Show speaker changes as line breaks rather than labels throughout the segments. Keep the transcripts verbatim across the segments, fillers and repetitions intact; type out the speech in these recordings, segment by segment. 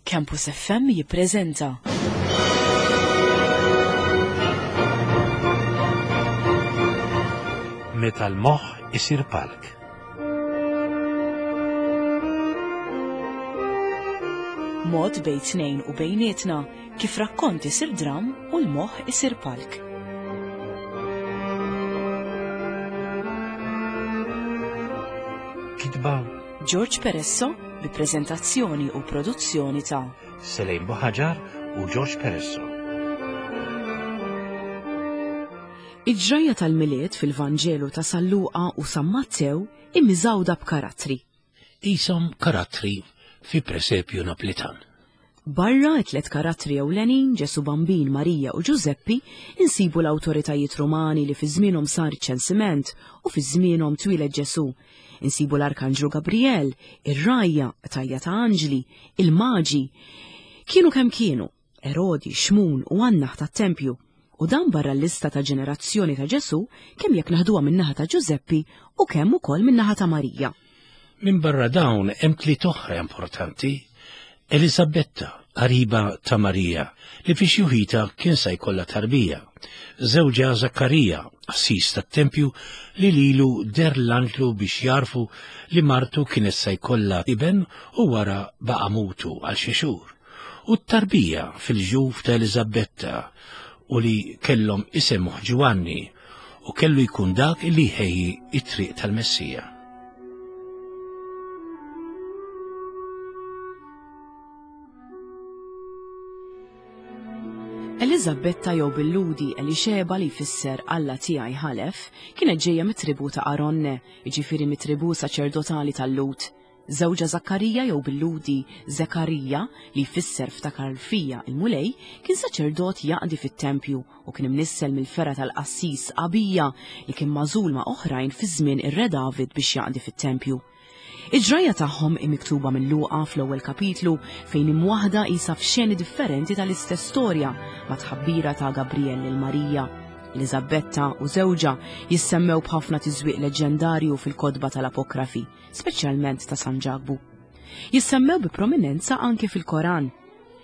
Campus F M jippreżenta
Meta l-moħħ isir palk.
Mod bejn tnejn u bejnietna kif rakkont isir dram u l-moħħ isir palk.
Kitba
George Peresso bi preżentazzjoni u produzzjoni ta'
Selejn Buħaġar u George Peresso.
Il-ġrajja tal-Milied fil-Vanġelu ta' San Luqa u San Mattew immiżawda b'karattri.
Isom karattri fi presepju Naplitan.
Barra t-tlet karattri ewlenin, Ġesu Bambin, Marija u Ġużeppi, insibu l-awtoritajiet Rumani li fi żmienhom sar iċ-ċensiment u fi żmienhom twieled Ġesu. Insibu l-Arkanġlu Gabriel, ir-rajja, tajja ta' anġli, il-maġi. Kienu kemm kienu, Erodi, Xmun u Annaħ tat-tempju. U dan barra l-lista ta' ġenerazzjoni ta' Ġesu, kemm jekk naħduha min-naħa ta' Ġużeppi u kemm ukoll min-naħa ta' Marija.
Min barra dawn hemm tliet oħra importanti. Elisabetta, qariba ta' Marija, li fi xjuħita kien se jkollha tarbija. Żewġha Zakkarija, qassis tat-tempju, li lilu der l-anġlu biex jarfu li martu kienet se jkollha iben u wara baqa' mutu għal xi xhur. U t-tarbija fil-ġuf ta' Elisabetta u li kellhom isemmuh Ġwanni u kellu jkun dak li jħejji it-triq tal-Messija.
Elisabetta jew bil-Ludi Elixeba li jfisser Alla tiegħi ħalef kienet ġejja mit-tribu ta' Aronne, jiġifieri mit-tribu saċerdotali tal-Lut. Żewġha Zakkarija jew bil-Ludi Zekarija li jfisser ftakar fija il-Mulej kien saċerdot jaqdi fit-tempju u kien imnissel mill-fergħa tal-qassis Abija li kien magħżul ma' oħrajn fi żmien ir-Re David biex jaqdi fit-tempju. Il-ġrajja tagħhom hi miktuba minn Luqa fl-ewwel kapitlu fejn imwaħda qisha f'xeni differenti tal-istess storja ma' tħabbira ta' Gabriel lil Marija. Elisabetta u żewġha jissemmew b'ħafna tiżwieq leġendarju fil-kotba tal-Apokrafi, speċjalment ta' San Ġakbu. Jissemmew bi prominenza anke fil-Koran.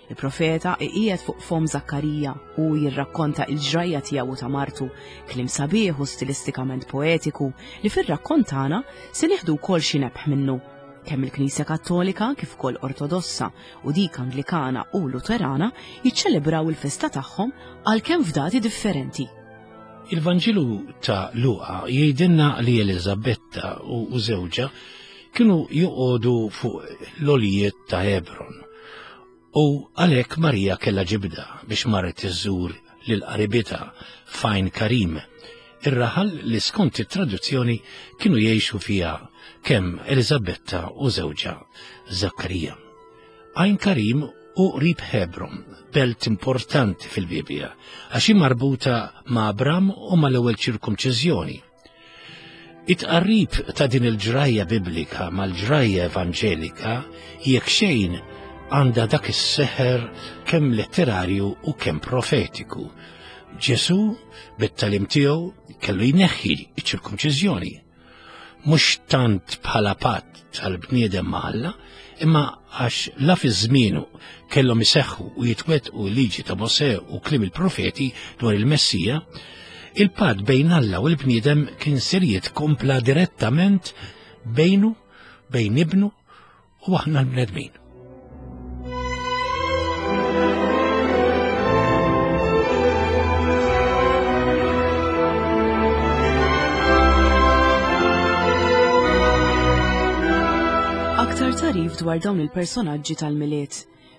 Il-profeta iqiegħed fuq fom Zakkarija u jirrakkonta il-ġrajja tiegħu ta' martu, kliem sabiħ u stilistikament poetiku li fir-rakkont tagħna se nieħdu wkoll xi nebħ minnu. Kemm il-Knisja Kattolika kif ukoll Ortodossa u dik Anglikana u Luterana jiċċelebraw il-festa tagħhom għalkemm f'dati differenti.
Il-Vanġelu ta' Luqa jgħidilna li Elisabetta u żewġha kienu joqogħdu fuq l-għolijiet ta' Hebron. U għalhekk Marija kellha ġibda biex marret iżżur lil qaribitha f'Għajn Karim, ir-raħal li skont it-traduzzjoni kienu jgħixu fiha kemm Elisabetta u żewġha Zakkarija. Għajn Karim u qrib Hebron, belt importanti fil-Bibbja, għax hi marbuta ma' Abram u mal-ewwel ċirkumċiżjoni. It-tqarrib ta' din il-ġrajja biblika mal-ġrajja evanġelika jekk xejn għandha dak is-seħer kemm letterarju u kemm profetiku. Ġesu bit-tagħlim tiegħu kellu jneħħi ċ-ċirkumċiżjoni. Mhux tant bħala patt tal-bniedem ma' Alla, imma għax la fi żmienu kellhom iseħħu u jitwettqu l-liġi ta' Mosè u kliem il-profeti dwar il-Messija, il-patt bejn Alla u l-bniedem kien ser jitkompla direttament bejnu, bejn ibnu u aħna l-bnedmin.
Aktar tarif dwar dawn il-personaġġi tal-Milied.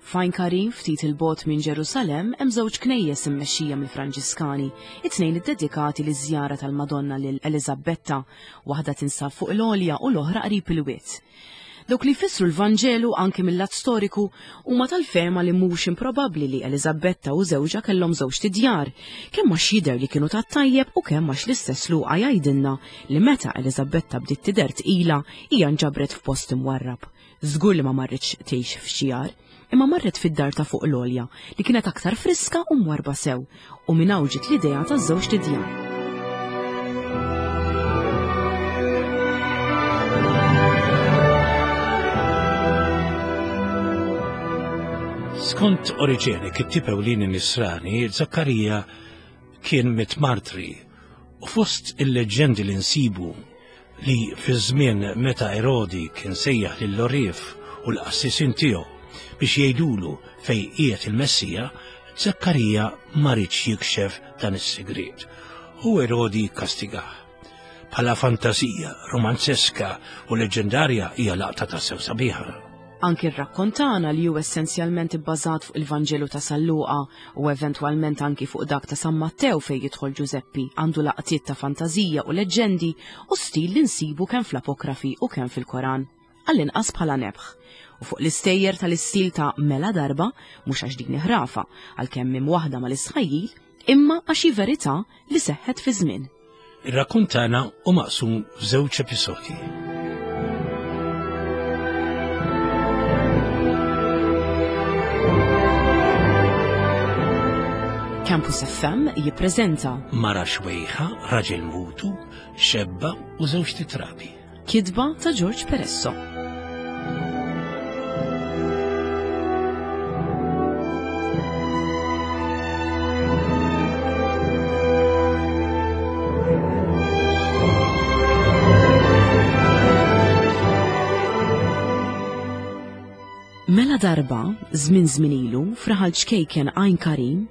F'Għajn Karim ftit il-bogħod minn Ġerusalemm hemm żewġ knejjes immexxija mill-Franġiskani, it-tnejn iddedikati liż-żjara tal-Madonna lil Elisabetta, waħda tinsab fuq l-għolja u l-oħra qrib il-wied. Dawk li jfissru l-Vanġelu anke mill-lat storiku huma tal-fehma li mhux improbabbli li Elisabetta u żewġha kellhom żewġ tidjar, kemm għax jidher li kienu tat-tajjeb u kemm għax l-istess Luqa jgħidilna li meta Elisabetta bdiet tidher tqila hija nġabret f'post imwarrab. Żgur li ma marritx tgħix f'xi għar, imma marret fid-dar ta' fuq l-għolja li kienet aktar friska u mwarba sew, u minn hawn ġiet l-idea taż-żewġ tidjar.
Skont Oriġene, kittib ewlieni Nisrani, Zakkarija kien miet martri u fost il-leġġendi li nsibu li fi żmien meta Erodi kien sejjaħ lill-għorrief u l-qassisin tiegħu biex jgħidulu fejn qiegħed il-Messija, Zakkarija ma riedx jikxef dan is-sigriet u Erodi kastigah. Bħala fantasija romanzeska u leġendarja hija laqta tassew sabiħa.
Anki r-rakkont tagħna li hu essenzjalment ibbażat fuq il-Vanġelu ta' San Luqa u eventwalment anki fuq dak ta' San Mattew fejn jidħol Ġużeppi għandu laqtiet ta' fantażija u leġġendi u stil li nsibu kemm fl-apokrafi u kemm fil-Koran. Għall-inqas bħala nebħ. U fuq l-istejjer tal-istil ta' mela darba, mhux għax din ħrafa, għalkemm minn waħda mal-istħajjil, imma għax hi verità li seħħet fi żmien.
Ir-rakkont tagħna hu maqsum f'żewġ episodji.
Campus F M jippreżenta
Mara xwejħa, raġel mutu, xebba u żewġ titrabi.
Kitba ta' George Peresso. Mela darba, żmien żmien ilu, fraħal ċkejken Għajn Karim,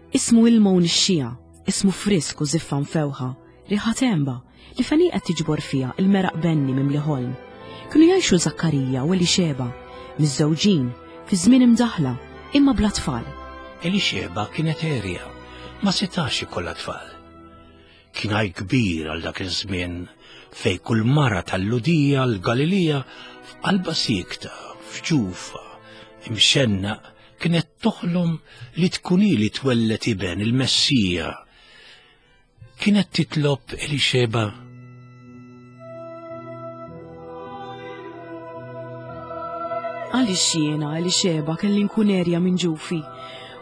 ismu ilma u nixxija, ismu frisk u ziffa mfewħa, riħa temba, li feni qed tiġbor fiha il-meraq benni mimli ħolm. Kienu jgħixu Zakkarija u Elixeba, miżżewġin, fi żmien imdaħla, imma bla tfal.
Elixeba kienet erja, ma setax ikollha tfal. Kien għaj kbir għal dak iż-żmien fej kull mara tal-Ludija l-Galilija f'qalba siekta, f'ġufa, imxenna, kienet toħlom li tkun hi li twellet iben il-Messija. Kienet titlob Elixeba.
Għaliex jiena Elixeba kelli nkun erja minn ġufi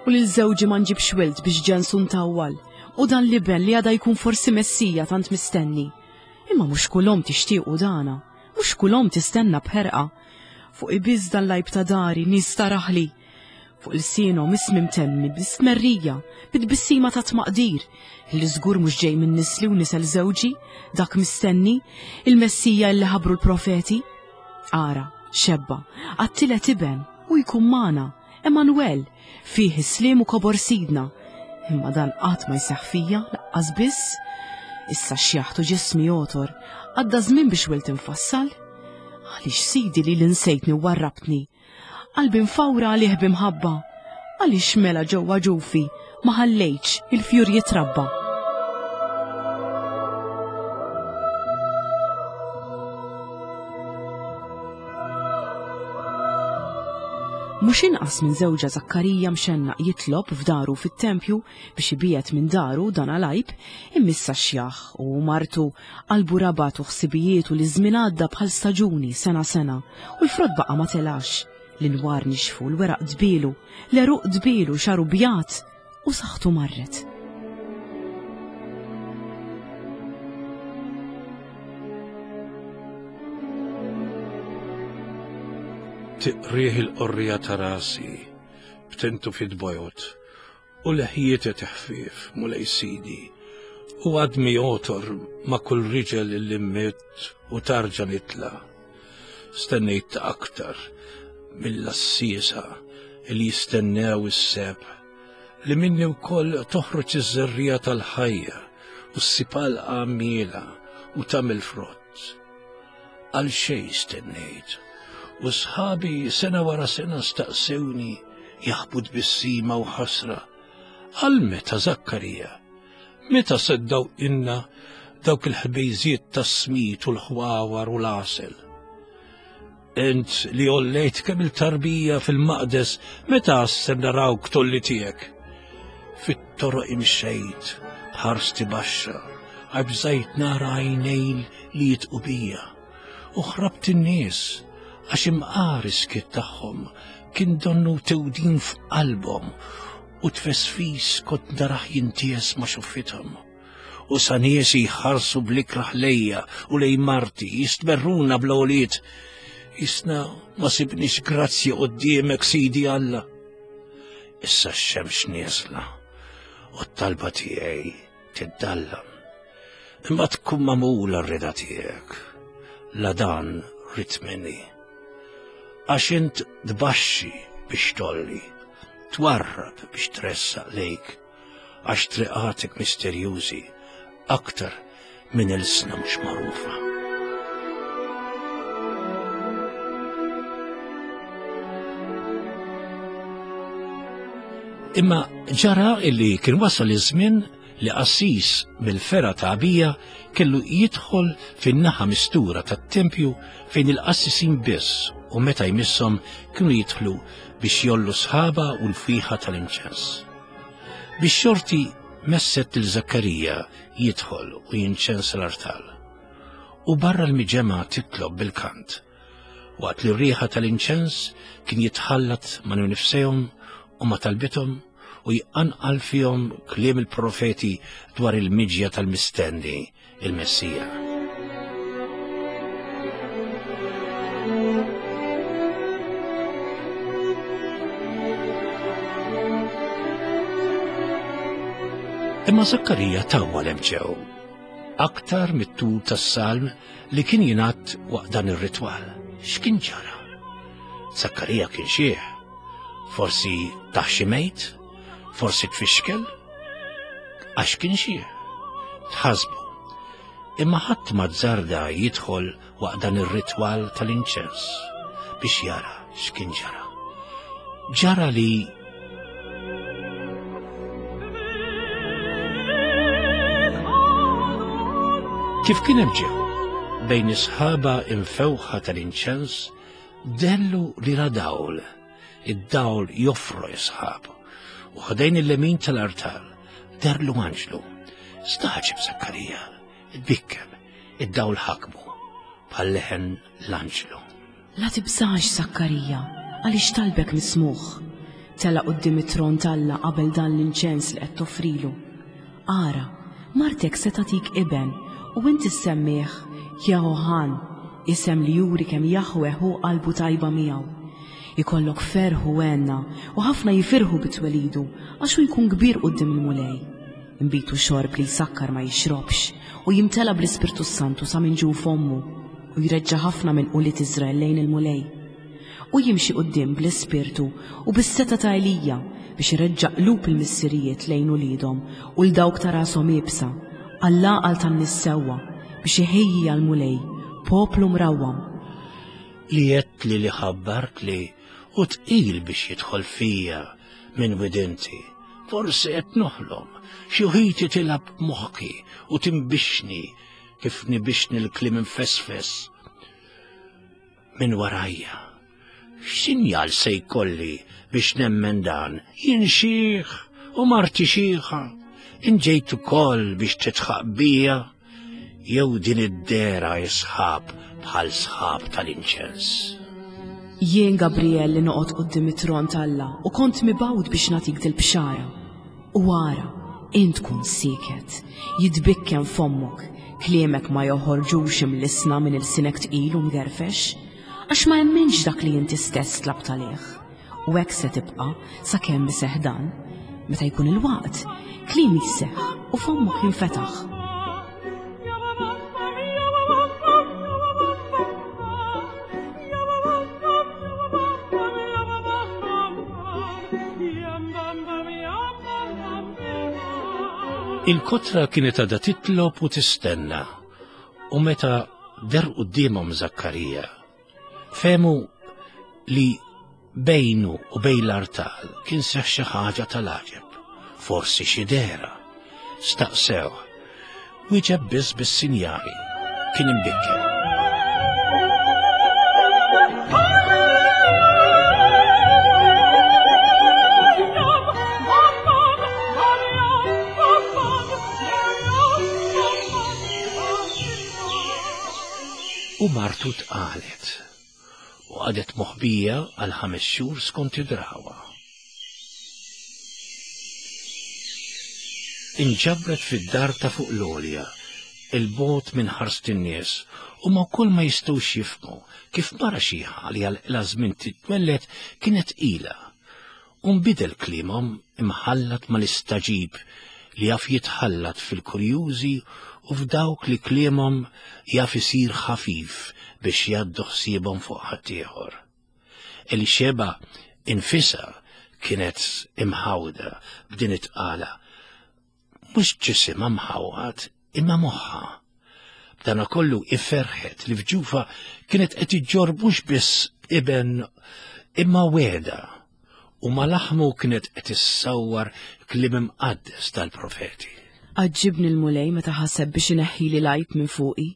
u lil żewġi ma nġibx wild biex ġensu ntawwal u dan l-iben li għada jkun forsi Messija tant mistenni. Imma mhux kull omm tixtiequ dana, mhux kull omm tistenna b'ħerqa. Fuq ibiż dan l-għajb ta' dari nies taraħli. Fuq il-sienhom ismi mtemmi bl-istmerrija, bit-tbissima ta' tmaqdir, li żgur mhux ġej minn nisli u nisel żewġi, dak mistenni, il-Messija li ħabru l-profeti. Ara, xebba, għattilet iben u jkun magħna, Emanuel, fih is-sliem u kobor sidna. Imma dan qatt ma jseħħ fija, laqqas biss. Issa xjaħtu ġismi jotor, għadda żmien biex wilt infassal. Għaliex sidi li l-insejtni u warrabtni? Qalbi mfawra għalih b'imħabba. Għaliex mela ġewwa ġufi ma ħallejtx il-fjur jitrabba? Mhux inqas minn żewġha Zakkarija mxennaq jitlob f'daru fit-tempju biex ibiet minn daru dan għal-għajb, immissa xjaħ u martu qalbu rabat u ħsibijietu li żmien għadda bħal staġuni sena sena u l-frott baqa' ma telax. L-inwar nixfu, l-weraq dbilu, l-eruq dbilu, xaru bjat u saħħtu marret.
Tiqrih il-qorrija ta' rasi, btentu fit-bojot, u leħjiet teħfif mulej sidi, u għadmi jotor ma' kull riġel li mmiet u tarġa nitla. Stennejt aktar mill-assisa li jistennew is-seb, li minni wkoll toħroġ iż-żerrija tal-ħajja u s-sipal għammiela u tagħmel frott. Għal xejn stennejt, u sħabi sena wara sena staqsewni jaħbu tbissima u ħasra. Għal meta Zakkarija? Meta seddaw inna dawk il-ħbejżiet tas-smit u l-ħwawar u l-għasel? Int li ollejt kemm il-tarbija fil-maqdes, meta għassem narawk tolli tiegħek? Fit-toroq imxejt, b'ħarsti baxxa, għabżajt nara għajnejn li jitqu bija, u ħrabt in-nies għax imqar is-skiet tagħhom kien donnu tewdin f'qalbhom u tfesfis kont naraħ jinties ma' xuffithom. U sa niesi jħarsu bl-ikraħ lejja u lej marti jistmerruna bl-għoliet. Jisna ma sibniex grazzja quddiemek, Sidi Alla. Issa x-xemx nieżla u t-talba tiegħi tiddallam. Imma tkun magħmula r-rieda tiegħek, la dan ridt minni. Għax int tbaxxi biex tolli, twarrab biex tressaq lejk, għax triqatek misterjużi aktar minn ilsna mhux magħrufa. Imma ġara illi kien wasal iż-żmien li qassis mill-fergħa ta' Abija kellu jidħol fin-naħa mistura tat-tempju fejn il-qassisin biss u meta jmisshom kienu jidħlu biex jollu sħaba u l-fwieħa tal-inċens. Biex xorti messet lil Żakkarija jidħol u jinċensa l-artal. U barra l-miġemgħa titlob bil-kant, waqt li r-riħa tal-inċens kien jitħallat ma' nifsejhom u ma' talbithom u jqanqal fihom kliem il-profeti dwar il-miġja tal-mistenni, il-Messija. Imma Żakkarija tawwal hemm ġew, aktar mit-tul tas-salm li kien jingħad waqt dan ir-ritwal. X'kien ġara? Żakkarija kien xieħ, forsi taħ xi mejt, forsi tfixkel, għax kien xieħ. Tħasbu. Imma ħadd ma żarda jidħol waqt dan ir-ritwal tal-inċens biex jara x'kien ġara. Ġara li kif kien hemm ġew bejn is-sħaba imfewħa tal-inċens dellu li ra dawl, id-dawl joffro is-sħab, u ħdejn il-lemin tal-artal derlu anġlu. Staġib Żakkarija, tbikkem, id-dawl ħakmu bħal leħen l-anġlu.
La tibżax, Żakkarija, għaliex talbek mismuħ. Tela quddiem it-tron t'Alla qabel dan l-inċens li qed toffrilu. Ara, martek se tagħtik iben u inti ssemmih Jehohan, isem li juri kemm Jaħweh hu qalbu tajba miegħu. Ikollok ferħ u għenna u ħafna jifirħu bitwelidu għax hu jkun kbir quddiem il-Mulej. Inbitu xorb li jsakkar ma jixrobx u jimtela bl-Ispirtu Santu sa minn ġuf ommu u jreġġa' ħafna minn ulied Iżrael lejn il-Mulej. U jimxi quddiem bl-Ispirtu u bis-seta ta' Elija biex ireġġa' qlub il-missirijiet lejn uliedhom u l dawk ta' rashom iebsa, għall-għaqal tan-nies sewwa biex iħejji għall-Mulej poplu mrawwam.
Li għedt li li ħabbart li u tqil biex jidħol fija minn widinti. Forsi qed noħlom, xi ħiti tilgħab moħħi u timbixni kif nibixni l-kliem infesfes minn warajja. X'sinjal se jkolli biex nemmen dan? Jien xiħ u marti xiħa. Inġejt ukoll biex titħaq bija, jew din id-dera isħab bħal sħab tal-inċens.
Jien Gabriel li noqgħod quddiem it-tron t'Alla u kont mibgħut biex nagħtik dil-bxara. U ara, int tkun sieket, jitbikkem fommok, kliemek ma joħorġux imlisna minn ilsinek tqil u mgerfex, għax ma emminx dak li inti stess tlabt għalih. U hekk se tibqa' sakemm iseħħ dan. Meta jkun il-waqt, kliem jisseħħ u fommok jinfetaħ.
Il-kotra kienet għadha titlob u tistenna, u meta der quddiemhom Żakkarija, fehmu li bejnu u bejn l-artal kien seħħ xi ħaġa tal-għaġeb, forsi xi dehra. Staqsew, wieġeb biss bis-sinjali, kien imbikkem. U martu tqalet u għadet moħbija għal ħames xhur skont id-drawa. Inġabret fid-dar ta' fuq l-għolja, il-bogħod minn ħarst in-nies, Huma wkoll ma jistgħux jifhmu kif mara xiħa li għal żmien titwelled kienet tqila. U nbidel kliemhom imħallat mal-istaġib li jaf jitħallat fil-kurjużi u f'dawk li kliemhom jaf isir ħafif biex jgħaddu ħsiebhom fuq ħaddieħor. Elixeba infisha kienet imħawda b'din it-tqala, mhux ġisimha mħawwad imma moħħha. B'dana kollu iferħet li f'ġufa kienet qed iġġorr mhux biss iben imma wegħda, u ma laħmu kienet qed issawwar kliem imqaddes tal-profeti.
Għaġġibni l-Mulej meta ħaseb biex ineħħili l-għajb minn fuqi.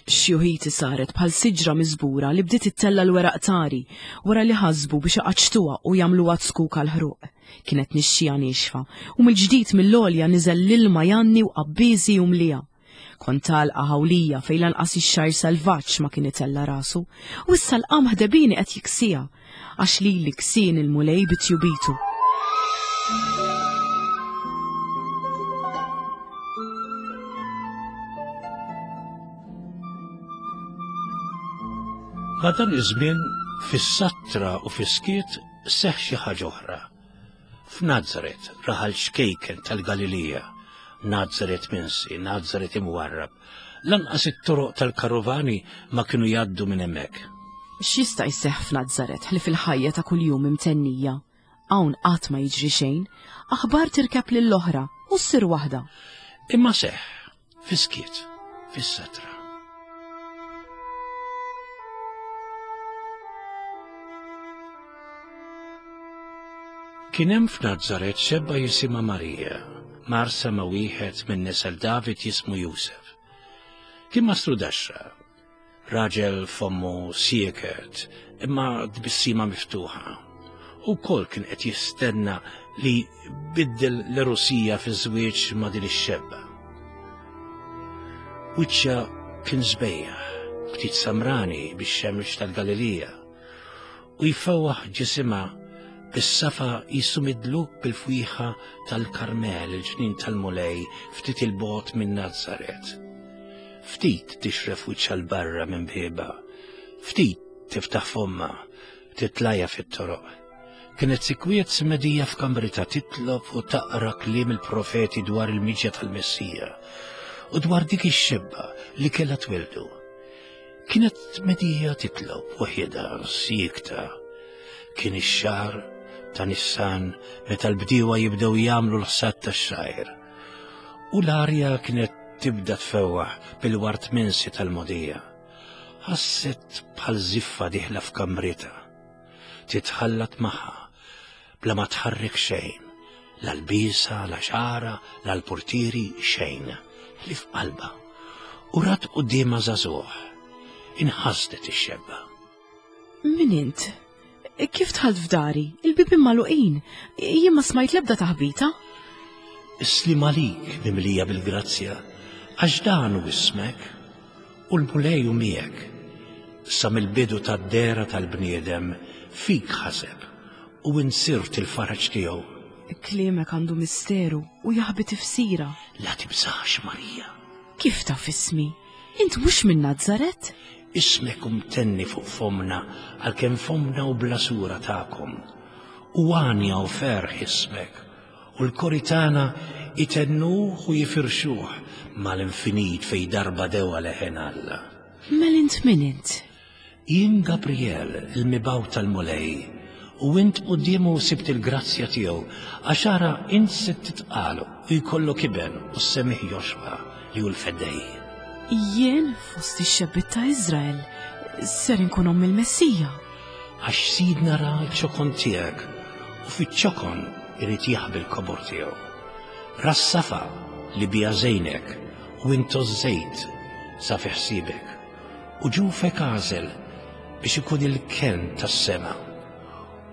Xjuħiti saret bħal siġra miżbura li bdiet ittella l-weraq tari wara li ħasbu biex iqaċċtuha u jagħmluha zkuk għall-ħruq. Kienet nixxija niexfa u mill-ġdid mill-għolja niżel l-ilma janni u qabbiżi u mlija. Kont għalqa ħawlija fejn lanqas ix-xgħir selvaġġ ma kien itella rasu, u issa l-qamħ debini qed jiksija, għax lili ksien il-Mulej bitjubitu.
Ma dan iż-żmien fis-satra u fis-skiet seħħ xi ħaġa oħra. F'Nazaret, raħal xkejken tal-Galilija, Nazaret minsi, Nazaret imwarrab, lanqas it-toroq tal-karovani ma kienu jgħaddu minn hemmhekk.
X'jista' jseħħ f'Nazaret ħlief il-ħajja ta' kuljum imtennija? Hawn qatt ma jiġri xejn, aħbar tirkeb lill-oħra u ssir waħda.
Imma seħħ fis-skiet, fis-satra. Kien hemm f'Nazaret xebba jisimha Marija, marsa ma' wieħed minn nisel David jismu Jusef. Kien mastru daxxa, raġel fommu sieket, imma tbissima miftuħa. U wkoll kien qed jistenna li biddel l-Erusija fiż-żwieġ ma' din ix-xebba. Wiċċha kien sbejjaħ, ftit samrani bix-xemx tal-Galilija, u jfewwaħ ġisimha bis-safa jisu midluk bil-fwieħa tal-Karmel, il-ġnien tal-Mulej, ftit il-bogħod minn Nazaret. Ftit tixref wiċċha l-barra minn bieba, ftit tiftaħ fomma, titlajja fit-toroq. Kienet sikwiet smedija f'kamrita titlob u taqra kliem il-profeti dwar il-miġja tal-Messija u dwar dik ix-xebba li kellha twildu. Kienet medija titlob waħedha siekta. Kien ix-xahar ta' Nissan meta l-bdiewa jibdew jagħmlu l-ħsad tax-xgħir. U l-arja kienet tibda tfewwaħ bil-wart minsi tal-mogħdija. Ħasset bħal żiffa dieħla f'kamrita. Titħallat magħha bla ma tħarrek xejn, la l-bisa, la xara, la l-portieri, xejn, ħlief qalbha. U rat quddiemha żagħżugħ. Inħasdet ix-xebba.
Min int? Kif dħalt f'dari? Il-bibien magħluqin. Jien ma smajt l-ebda taħbita.
Islim għalik mimlija bil-grazzja, għax dan hu ismek u l-Mulej hu miegħek. Sa mill-bidu tad-dera tal-bniedem fik ħaseb u insirt il-faraġ tiegħu.
Kliemek għandu misteru u jaħbi tifsira.
La tibżax, Marija.
Kif taf ismi? Int mhux minn Nazaret?
Ismek umtenni fuq fomna għalkemm fomna u bla sura tagħkom. U għanja u ferħ ismek, u l-kori tagħna itennuh u jifirxuh mal-infinit fej darba dewa leħen Alla.
Mel int min int?
Jien Gabriel, il-mibgħut tal-Mulej, u int quddiemu sibt il-grazzja tiegħu, għax ara int se titqalu u jkollok iben u ssemih Joxwa li hu l-Feddej.
Jien fost ix-xebbiet ta' Iżrael ser inkun omm il-Messija.
Għax Sidna ra ċ-ċokon tiegħek u fiċ-ċokon irid jaħbi l-kobor tiegħu. Ra s-safa li bija żejnek u intu żejt sa fi ħsiebek u ġufek għażel biex ikun il-kenn tas-sema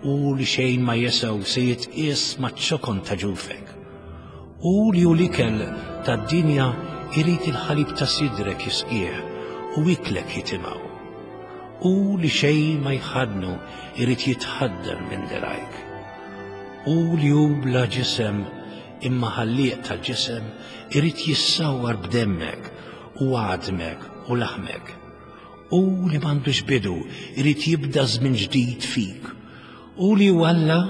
u li xejn ma jesew se jitqies maċ-ċokon ta' ġufek. U li hu l-ikel tad-dinja irid il-ħalib ta' sidrek jisqih u iklek jitimgħu. U li xejn ma jħadnu irid jitħaddem minn dirajk. U li hu bla ġisem imma ħallieq tal-ġisem irid jissawwar b'demmek u għadmek u laħmek. U li m'għandux bidu irid jibda żmien ġdid fik. U li hu Alla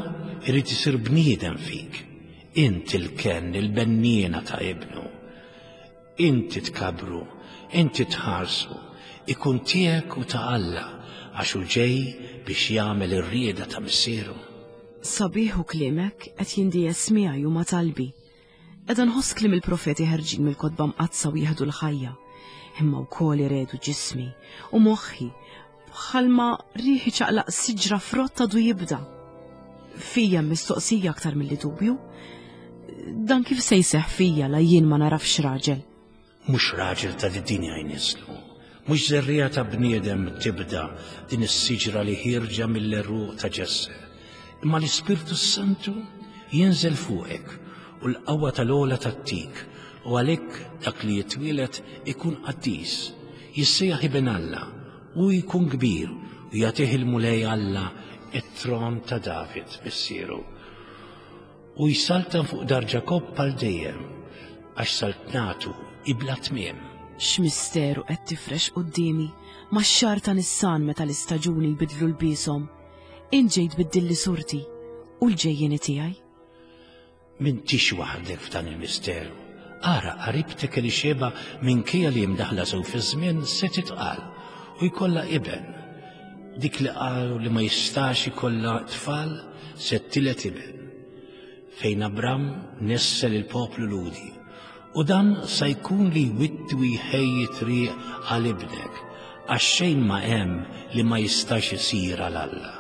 irid isir bniedem fik. Inti l-kenn, il-benniena ta' ibnu. Inti tkabru, inti tħarsu, ikun tiegħek u ta' Alla għax hu ġej biex jagħmel ir-rieda ta' missieru.
Sabiħ hu kliemek qed jindies miegħi u ma' talbi. Qiegħda nħoss kliem il-profeti ħerġin mill-kotba mqaddsa u jieħdu l-ħajja. Imma wkoll iredu ġismi u moħħi bħalma riħ iċaqlaq siġra frott għadu jibda. Fija mistoqsija aktar milli dubju. Dan kif se jseħħ fija la jien ma narafx raġel?
Mhux raġel ta' dinja jnislu, mhux żerriegħa ta' bniedem tibda din is-siġra li ħierġa mill-għeruq ta' Ġesse. Imma l-Ispirtu Santu jinżel fuqek u l-qawwa tal-ogħla tattik, u għalhekk dak li jitwieled ikun qaddis, jissejjaħ Iben Alla u jkun kbir u jagħtih il-Mulej Alla it-tron ta' David missieru. U jsaltan fuq dar Ġakobb għal dejjem, għax saltnatu ibla tmiem.
X'misteru qed tifrex quddiemi max-xahar ta' Nissan meta l-istaġuni jbidlu lbieshom. Int ġejt tbiddilli surti u l-ġejjieni tiegħi.
M'intix waħdek f'dan il-misteru. Ara, qaribtek Elixeba minkejja li mdaħla sew fiż-żmien se titqal u jkollha iben. Dik li qalu li ma jistax ikollha tfal se tiled iben. Fejn Abram nessel il-poplu Lhudi. U dan sa jkun li jwitti u jħejji triq għal ibnek, għax xejn ma hemm li ma jistax isir għal Alla.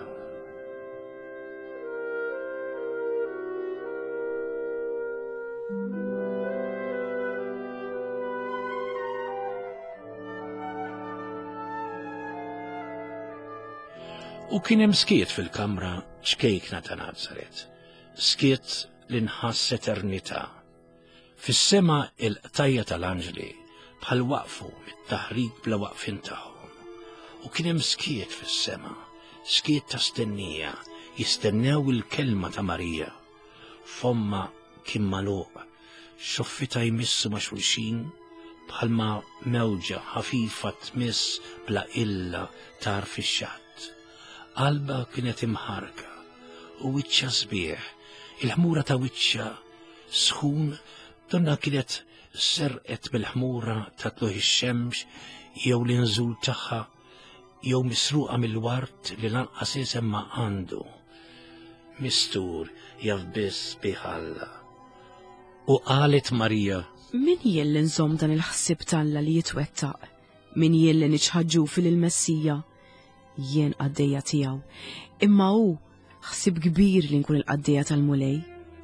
U kien hemm skiet fil-kamra ċkejkna ta' Nazaret, skiet li nħass eternità. Fis-sema il-qtajja tal-anġli bħal waqfu mit-taħrik bla waqfin tagħhom. U kien hemm skiet fis-sema, skiet ta' stennija, jistennew il-kelma ta' Marija. Fomma kien magħluq, xoffita jmissu ma' xulxin bħalma mewġa ħafifa tmiss bla illa tarf ix-xatt. Qalba kienet imħarka u wiċċha sbieħ, il-ħmura ta' wiċċha sħun donna kienet serqet mill-ħmura ta' tluħ ix-xemx jew l-inżul tagħha jew misruqa mill-wart li lanqas isem ma għandu. Mistur jaf biss bih Alla. U qalet Marija,
Min jien li nżomm dan il-ħsieb t'Alla li jitwettaq? Min jien li niċħaġġu fil-Messija? Jien qaddejja tiegħu. Imma hu ħsieb kbir li nkun il-qaddejja tal-Mulej,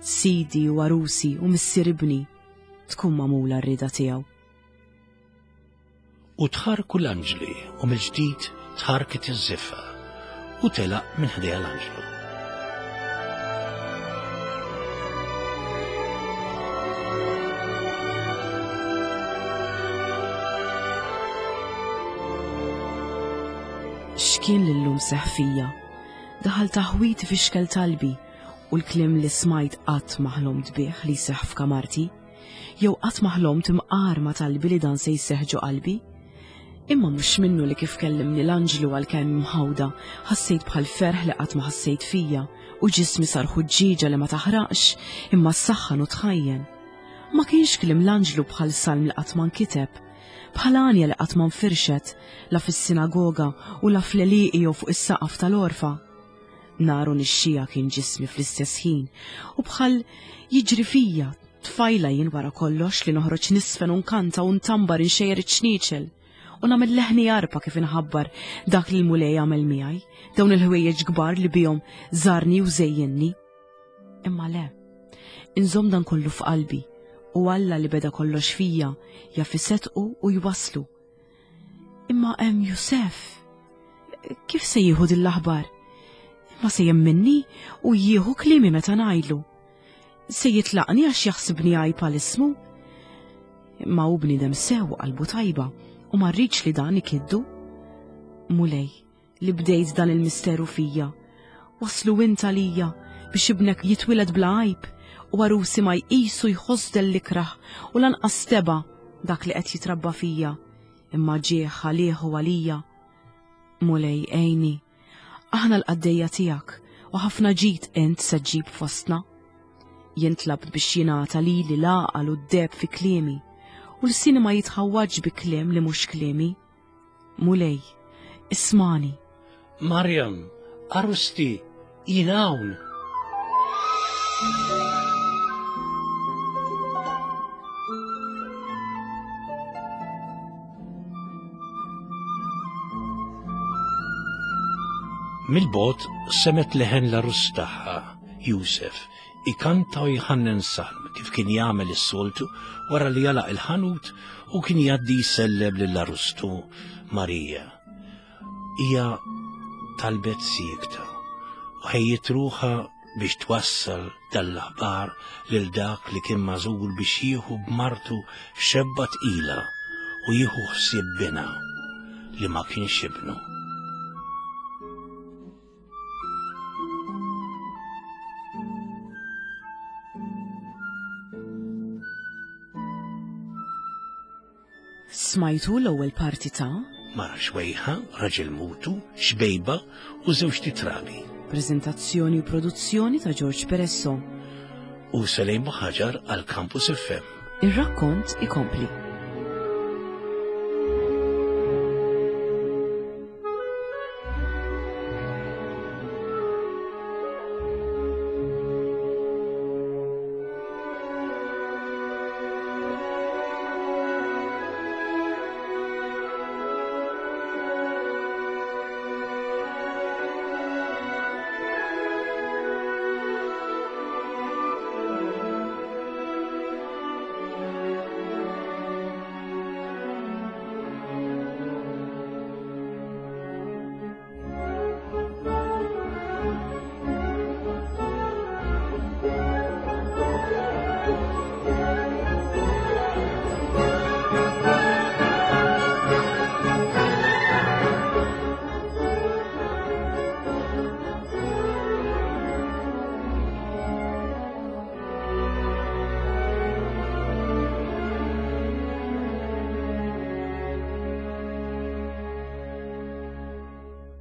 sidi u arusi u missier ibni, tkun magħmula r-rieda tiegħu.
U tħarku l-anġli u mill-ġdid tħarket iż-żiffa u telaq minn ħdejha l-anġlu.
X'kien lillum seħ fija? Daħal taħwit fixkel talbi u l-kliem li smajt qatt ma ħlomt bih li jseħħ f'kamarti, jew qatt ma ħlomt imqar ma talbi li dan se jseħħ ġo qalbi. Imma mhux minnu li kif kellimni l-anġlu għalkemm imħawda, ħassejt bħal ferħ li qatt ma ħassejt fija u ġismi sar ħuġġieġa li ma taħraqx imma s-saħħan u tħajjen. Ma kienx kliem l-anġlu bħal salm li qatt ma nkiteb, bħal għanja li qatt ma nfirxet la fis-sinagoga u la fl-għelieqi jew fuq is-saqaf tal-orfa. Naru nixxija kien ġismi fl-istess ħin u bħal jiġri fija tfajla jien wara kollox li noħroġ nisfen u nkanta u ntambar inxejjer iċ-ċnieċel u nagħmel leħni arpa kif inħabbar dak li l-Mulej għamel miegħi, dawn il-ħwejjeġ kbar li bihom żarni u żejjenni. Imma le, inżomm dan kollu f'qalbi u Alla li beda kollox fija jaf isettqu u jwaslu. Imma hemm Jusef, kif se jieħu din l-aħbar? Ma se jemminni u jieħu kliemi meta ngħidlu. Se jitlaqni għax jaħsibni għajb għal ismu? Imma hu bniedem sew qalbu tajba u ma rridx li dan ikiddu. Mulej, li bdejt dan il-misteru fija, waslu int għalija biex ibnek jitwiled bla għajb u għarusi ma jqisu jħoss del-ikrah u lanqas teba' dak li qed jitrabba fija, imma ġieħ għalih u għalija Mulej għinni, aħna l-qaddejja tiegħek u ħafna ġid int se ġġib fostna. Jien tlabt biex jingħata lili l-għaqal u d-deheb fi kliemi, u lsieni ma jitħawwadx bi kliem li mhux kliemi. Mulej, ismani.
Marjam, għarusti, jien hawn. Mill-bogħod semet leħen l-għarus tagħha, Jusef, ikanta u jħannen salm kif kien jagħmel is-soltu wara li jalaq il-ħanut u kien jgħaddi jsellem lill-għarustu Marija. Hija talbet siekta u ħejjiet ruħha biex twassal dal-aħbar lil dak li kien magħżul biex jieħu b'martu xebba tqila u jieħu ħsieb binha li ma kienx ibnu.
Smajtu l-ewwel parti ta'
Mara xwejħa, raġel mutu, xbejba u żewġt itrabi.
Prezentazzjoni u produzzjoni ta' George Peresso.
U Selejn Buħaġar għal Campus F M.
Ir-rakkont ikompli.